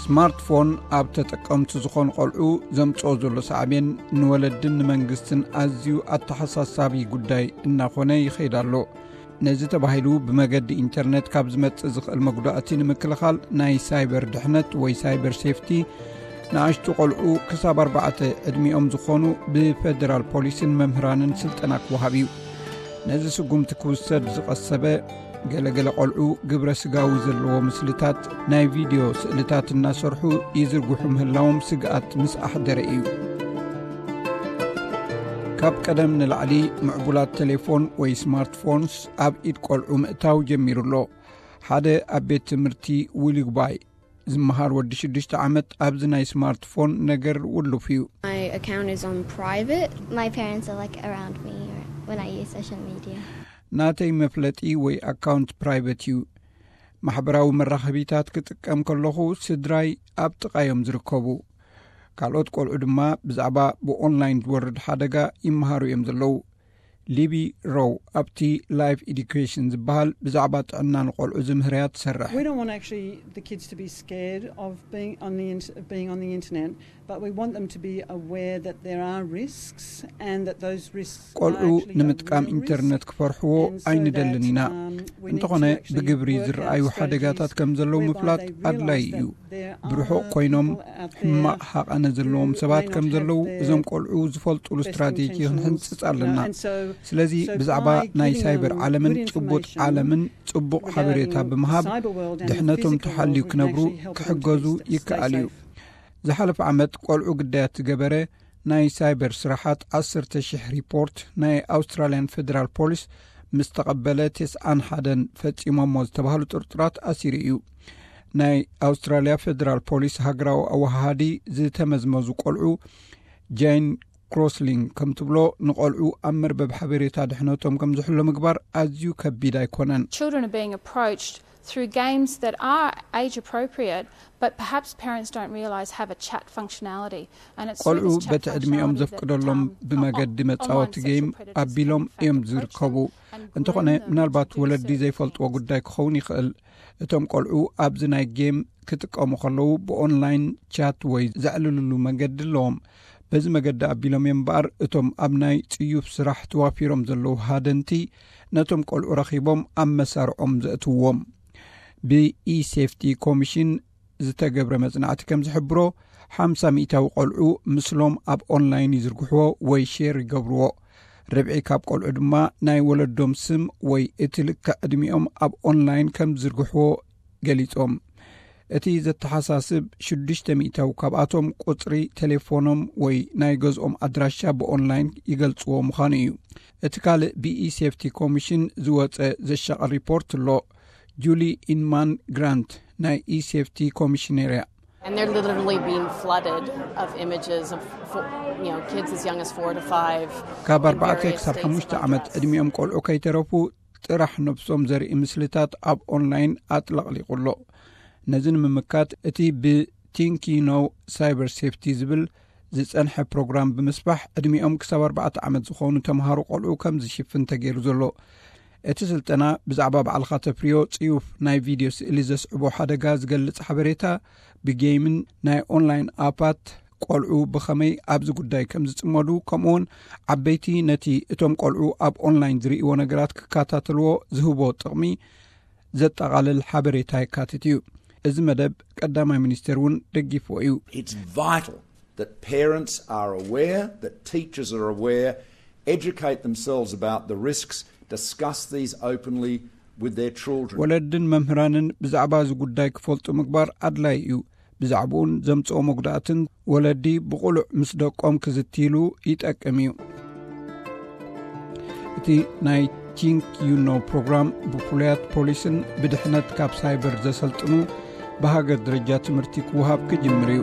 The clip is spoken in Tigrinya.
ስማርትፎን ኣብ ተጠቀምቲ ዝኾኑ ቆልዑ ዘምጽኦ ዘሎ ሳዕቤን ንወለድን ንመንግስትን ኣዝዩ ኣተሓሳሳቢ ጉዳይ እናኾነ ይኸይድ ኣሎ። ነዚ ተባሂሉ ብመገዲ ኢንተርነት ካብ ዝመጽእ ዝኽእል መጉዳእቲ ንምክልኻል ናይ ሳይበር ድሕነት ወይ ሳይበር ሴፍቲ ንኣሽቱ ቆልዑ ክሳብ ኣርባዕተ ዕድሚኦም ዝኾኑ ብፌደራል ፖሊስን መምህራንን ስልጠና ክወሃብ እዩ። ነዚ ስጉምቲ ክውሰድ ዝቐሰበ ገለገለ ቆልዑ ግብረ ስጋዊ ዘለዎ ምስልታት ናይ ቪድዮ ስእልታት እናሰርሑ ይዝርግሑ ምህላዎም ስግኣት ምስ ኣሕደረ እዩ። ካብ ቀደም ንላዕሊ ምዕቡላት ቴሌፎን ወይ ስማርትፎንስ ኣብ ኢድ ቆልዑ ምእታው ጀሚሩ ኣሎ። ሓደ ኣብ ቤት ትምህርቲ ዊሊግባይ ዝመሃር ወዲ ሽዱሽተ ዓመት ኣብዚ ናይ ስማርትፎን ነገር ውሉፍ እዩ። My account is on private. My parents are like around me when I use social media. ናተይ መፍለጢ ወይ ኣካውንት ፕራይቨት እዩ። ማሕበራዊ መራኸቢታት ክጥቀም ከለኹ ስድራይ ኣብ ጥቓዮም ዝርከቡ። ካልኦት ቆልዑ ድማ ብዛዕባ ብኦንላይን ዝወርድ ሓደጋ ይመሃሩ እዮም ዘለዉ። ሊቢ ሮው ኣብቲ ላይፍ ኤዱኬሽን ዝበሃል ብዛዕባ ጥዕና ንቆልዑ ዝምህርያ ትሰርሕ። We don't want actually the kids to be scared of being on the inter- of being on the internet, but we want them to be aware that there are risks and that those risks are ቆልዑ actually a ንምጥቃም real risk. ኢንተርነት ክፈርሕዎ And so ኣይንደልን that, ኢና። um, we need እንተኾነ to actually ብግብሪ work out ዝረኣዩ ሓደጋታት strategies ከም ዘለዉ whereby ምፍላጥ they ኣድላይ realise እዩ። that there are ብርሑቕ ኮይኖም people out there ሕማቕ ሃቐነ ዘለዎም who ሰባት may not ከም have ዘለዉ their እዞም ቆልዑ ዝፈልጡሉ best ስትራቴጂ intentions. ክንሕንጽጽ ኣለና። And so, ስለዚ so ብዛዕባ by ናይ giving ሳይበር them ዓለምን good ጭቡጥ information ዓለምን ጽቡቕ regarding ሓበሬታ the ብምሃብ cyber world and the ድሕነቶም physical ተሓልዩ world, we can ክነብሩ actually help them to ክሕገዙ be s- stay ይከኣል እዩ። Safe. ዝሓለፈ ዓመት ቆልዑ ግዳያት ዝገበረ ናይ ሳይበር ስራሓት ዓሰርተ ሽሕ ሪፖርት ናይ ኣውስትራልያን ፌደራል ፖሊስ ምስ ተቐበለ፣ ተስዓን ሓደን ፈጺሞሞ ዝተባህሉ ጥርጡራት ኣሲሩ እዩ። ናይ ኣውስትራልያ ፌደራል ፖሊስ ሃገራዊ ኣወሃሃዲ ዝተመዝመዙ ቆልዑ ጃይን ክሮስሊንግ ከም ትብሎ፣ ንቆልዑ ኣብ መርበብ ሓበሬታ ድሕነቶም ከም ዝሕሎ ምግባር ኣዝዩ ከቢድ ኣይኮነን። Children are being approached through games that are age appropriate, but perhaps parents don't realise have a chat functionality. And it's through ቆልዑ this chat በቲ ዕድሚኦም functionality that, ዘፍቅደሎም um, ብመገዲ on- መጻወቲ online ጌም sexual predators ኣቢሎም can in fact እዮም approach ዝርከቡ። them and groom እንተኾነ them to ምናልባት do ወለዲ certain ዘይፈልጥዎ things. ጉዳይ ክኸውን ይኽእል። እቶም ቆልዑ ኣብዚ ናይ ጌም ክጥቀሙ ከለዉ ብኦንላይን ቻት ወይ ዘዕልልሉ መገዲ ኣለዎም። በዚ መገዲ ኣቢሎም እዮም እምበኣር እቶም ኣብ ናይ ጽዩፍ ስራሕ ተዋፊሮም ዘለዉ ሃደንቲ ነቶም ቆልዑ ረኺቦም ኣብ መሳርዖም ዘእትውዎም። ብኢሴፍቲ ኮሚሽን ዝተገብረ መጽናዕቲ ከም ዝሕብሮ፣ ሓምሳ ሚእታዊ ቆልዑ ምስሎም ኣብ ኦንላይን ይዝርግሕዎ ወይ ሼር ይገብርዎ። ርብዒ ካብ ቆልዑ ድማ ናይ ወለዶም ስም ወይ እቲ ልክዕ ዕድሚኦም ኣብ ኦንላይን ከም ዝዝርግሕዎ ገሊጾም። እቲ ዘተሓሳስብ ሽዱሽተ ሚእታዊ ካብኣቶም ቁጽሪ ቴሌፎኖም ወይ ናይ ገዝኦም ኣድራሻ ብኦንላይን ይገልጽዎ ምዃኑ እዩ። እቲ ካልእ ብኢሴፍቲ ኮሚሽን ዝወጸ ዘሻቐል ሪፖርት ኣሎ። ጁሊ ኢንማን ግራንት ናይ ኢሴፍቲ ኮሚሽነር እያ። And they're literally being flooded of images of fo- you know kids as young as four to five. ካብ in ኣርባዕተ various ክሳብ states ሓሙሽተ of ዓመት undress. ዕድሚኦም ቆልዑ ከይተረፉ ጥራሕ ነብሶም ዘርኢ ምስልታት ኣብ ኦንላይን ኣጥለቕሊቑ ኣሎ። ነዚ ንምምካት እቲ ብቲንኪኖ ሳይበር ሴፍቲ ዝብል ዝጸንሐ ፕሮግራም ብምስፋሕ ዕድሚኦም ክሳብ ኣርባዕተ ዓመት ዝኾኑ ተምሃሮ ቆልዑ ከም ዝሽፍን ተገይሩ ዘሎ። እቲ ስልጠና ብዛዕባ ባዕልኻ ተፍርዮ ጽዩፍ ናይ ቪድዮ ስእሊ ዘስዕቦ ሓደጋ ዝገልጽ ሓበሬታ ብጌምን ናይ ኦንላይን ኣፓት ቆልዑ ብኸመይ ኣብዚ ጉዳይ ከም ዝጽመዱ፣ ከምኡውን ዓበይቲ ነቲ እቶም ቆልዑ ኣብ ኦንላይን ዝርእይዎ ነገራት ክከታተልዎ ዝህቦ ጥቕሚ ዘጠቓልል ሓበሬታ የካትት እዩ። እዚ መደብ ቀዳማይ ሚኒስቴር እውን ደጊፍዎ እዩ። It's vital that parents are aware, that teachers are aware, educate themselves about the risks, discuss these openly with their children. ወለድን መምህራንን ብዛዕባ እዚ ጉዳይ ክፈልጡ ምግባር ኣድላይ እዩ። ብዛዕባኡን ዘምጽኦ መጉዳእትን ወለዲ ብቑሉዕ ምስ ደቆም ክዝትይሉ ይጠቅም እዩ። እቲ ናይ ቲንክ ዩ ኖ ፕሮግራም ብፍሉያት ፖሊስን ብድሕነት ካብ ሳይበር ዘሰልጥኑ ብሃገር ደረጃ ትምህርቲ ክወሃብ ክጅምር እዩ።